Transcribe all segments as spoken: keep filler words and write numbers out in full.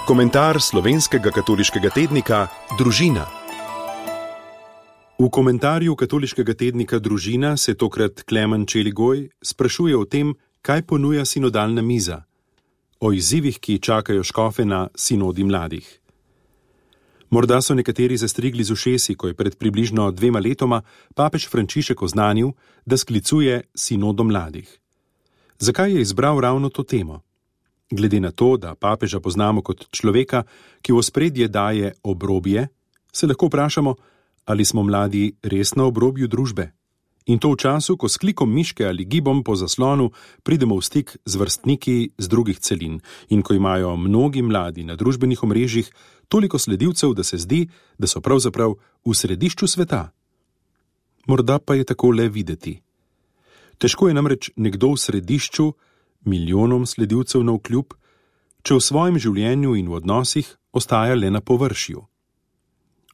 Komentar slovenskega katoliškega tednika Družina. V komentarju katoliškega tednika Družina se tokrat Klemen Čeligoj sprašuje o tem, kaj ponuja sinodalna miza, o izzivih, ki čakajo škofe na sinodi mladih. Morda so nekateri zastrigli z ušesi, ko je pred približno dvema letoma papež Frančišek oznanil, da sklicuje sinodo mladih. Zakaj je izbral ravno to temo? Glede na to, da papeža poznamo kot človeka, ki v ospredje daje obrobje, se lahko vprašamo, ali smo mladi res na obrobju družbe. In to v času, ko s klikom miške ali gibom po zaslonu pridemo v stik z vrstniki z drugih celin in ko imajo mnogi mladi na družbenih omrežjih toliko sledilcev, da se zdi, da so pravzaprav v središču sveta. Morda pa je tako le videti. Težko je namreč nekdo v središču, milijonom sledilcev navkljub, če v svojem življenju in v odnosih ostaja le na površju.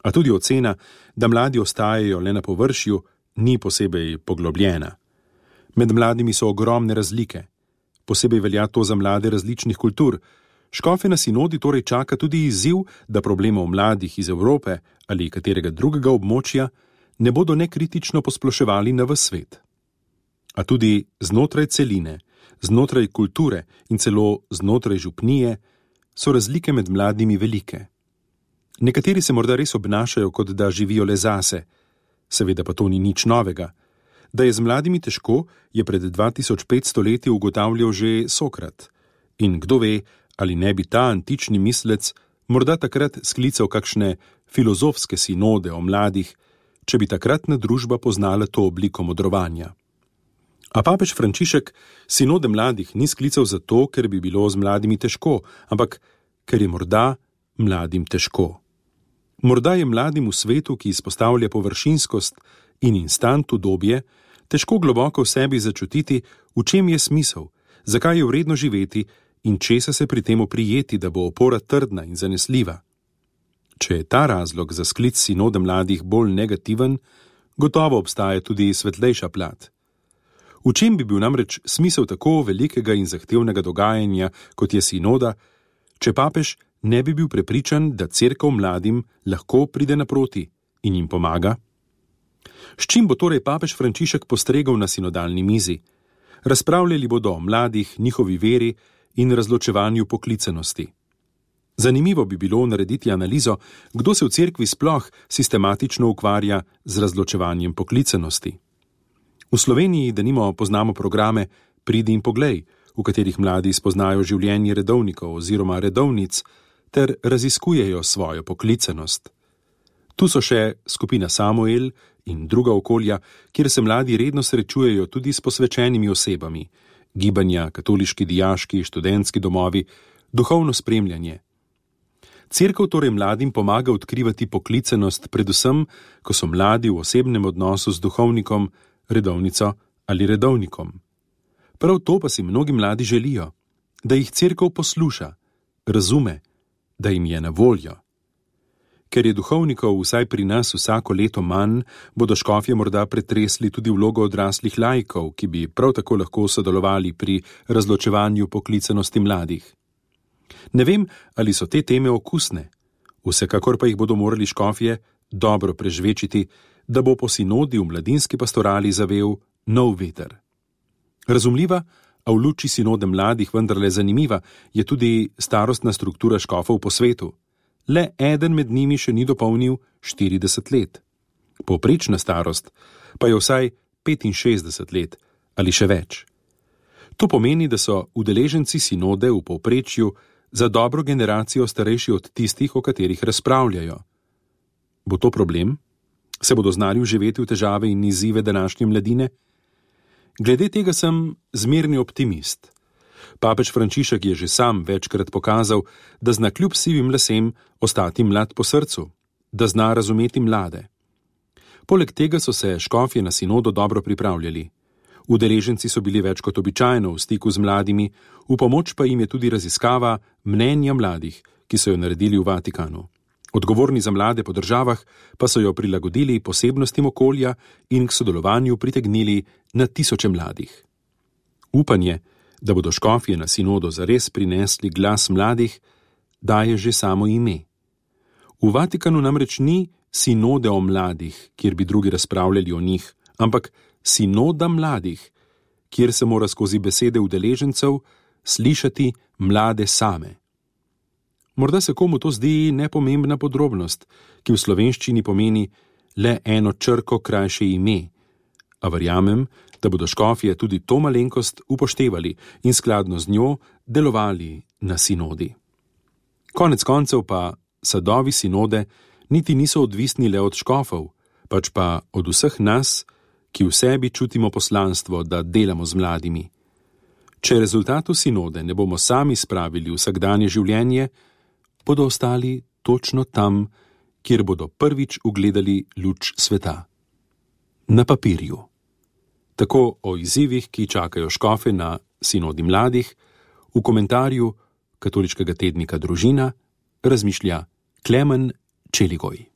A tudi ocena, da mladi ostajajo le na površju, ni posebej poglobljena. Med mladimi so ogromne razlike. Posebej velja to za mlade različnih kultur. Škofe na sinodi torej čaka tudi izziv, da problemov mladih iz Evrope ali katerega drugega območja ne bodo nekritično posploševali na ves svet. A tudi znotraj celine, znotraj kulture in celo znotraj župnije so razlike med mladimi velike. Nekateri se morda res obnašajo, kot da živijo le zase, seveda pa to ni nič novega. Da je z mladimi težko, je pred dva tisoč petsto leti ugotavljal že Sokrat. In kdo ve, ali ne bi ta antični mislec morda takrat sklical kakšne filozofske sinode o mladih, če bi takratna družba poznala to obliko modrovanja. A papež Frančišek sinode mladih ni sklical zato, ker bi bilo z mladimi težko, ampak ker je morda mladim težko. Morda je mladim v svetu, ki izpostavlja površinskost in instant udobje, težko globoko v sebi začutiti, v čem je smisel, zakaj je vredno živeti in česa se pri tem oprijeti, da bo opora trdna in zanesljiva. Če je ta razlog za sklic sinode mladih bolj negativen, gotovo obstaja tudi svetlejša plat. V čem bi bil namreč smisel tako velikega in zahtevnega dogajanja, kot je sinoda, če papež ne bi bil prepričan, da cerkev mladim lahko pride naproti in jim pomaga? S čim bo torej papež Frančišek postregal na sinodalni mizi? Razpravljali bodo o mladih, njihovi veri in razločevanju poklicanosti. Zanimivo bi bilo narediti analizo, kdo se v cerkvi sploh sistematično ukvarja z razločevanjem poklicanosti. V Sloveniji, denimo, poznamo programe Pridi in poglej, v katerih mladi spoznajo življenje redovnikov oziroma redovnic ter raziskujejo svojo poklicanost. Tu so še skupina Samuel in druga okolja, kjer se mladi redno srečujejo tudi s posvečenimi osebami, gibanja, katoliški dijaški, študentski domovi, duhovno spremljanje. Cerkev torej mladim pomaga odkrivati poklicanost, predvsem, ko so mladi v osebnem odnosu z duhovnikom, redovnico ali redovnikom. Prav to pa si mnogi mladi želijo, da jih cerkev posluša, razume, da jim je na voljo. Ker je duhovnikov vsaj pri nas vsako leto manj, bodo škofje morda pretresli tudi vlogo odraslih laikov, ki bi prav tako lahko sodelovali pri razločevanju poklicanosti mladih. Ne vem, ali so te teme okusne, vsekakor pa jih bodo morali škofje dobro prežvečiti, da bo po sinodi v mladinski pastorali zavel nov veter. Razumljiva, a v luči sinode mladih vendarle zanimiva, je tudi starostna struktura škofov po svetu. Le eden med njimi še ni dopolnil štirideset let. Povprečna starost pa je vsaj petinšestdeset let ali še več. To pomeni, da so udeleženci sinode v povprečju za dobro generacijo starejši od tistih, o katerih razpravljajo. Bo to problem? Se bodo znali vživeti v težave in izzive današnje mladine? Glede tega sem zmerni optimist. Papež Frančišek je že sam večkrat pokazal, da zna kljub sivim lasem ostati mlad po srcu, da zna razumeti mlade. Poleg tega so se škofje na sinodo dobro pripravljali. Udeleženci so bili več kot običajno v stiku z mladimi, v pomoč pa jim je tudi raziskava mnenja mladih, ki so jo naredili v Vatikanu. Odgovorni za mlade po državah pa so jo prilagodili posebnostim okolja in k sodelovanju pritegnili na tisoče mladih. Upanje, da bodo škofje na sinodo zares prinesli glas mladih, daje že samo ime. V Vatikanu namreč ni sinode o mladih, kjer bi drugi razpravljali o njih, ampak sinoda mladih, kjer se mora skozi besede udeležencev slišati mlade same. Morda se komu to zdi nepomembna podrobnost, ki v slovenščini pomeni le eno črko krajše ime, a verjamem, da bodo škofje tudi to malenkost upoštevali in skladno z njo delovali na sinodi. Konec koncev pa sadovi sinode niti niso odvisni le od škofov, pač pa od vseh nas, ki v sebi čutimo poslanstvo, da delamo z mladimi. Če rezultatu sinode ne bomo sami spravili v vsakdanje življenje, bodo ostali točno tam, kjer bodo prvič ugledali luč sveta. Na papirju. Tako o izzivih, ki čakajo škofe na sinodi mladih, v komentarju katoliškega tednika Družina razmišlja Klemen Čeligoj.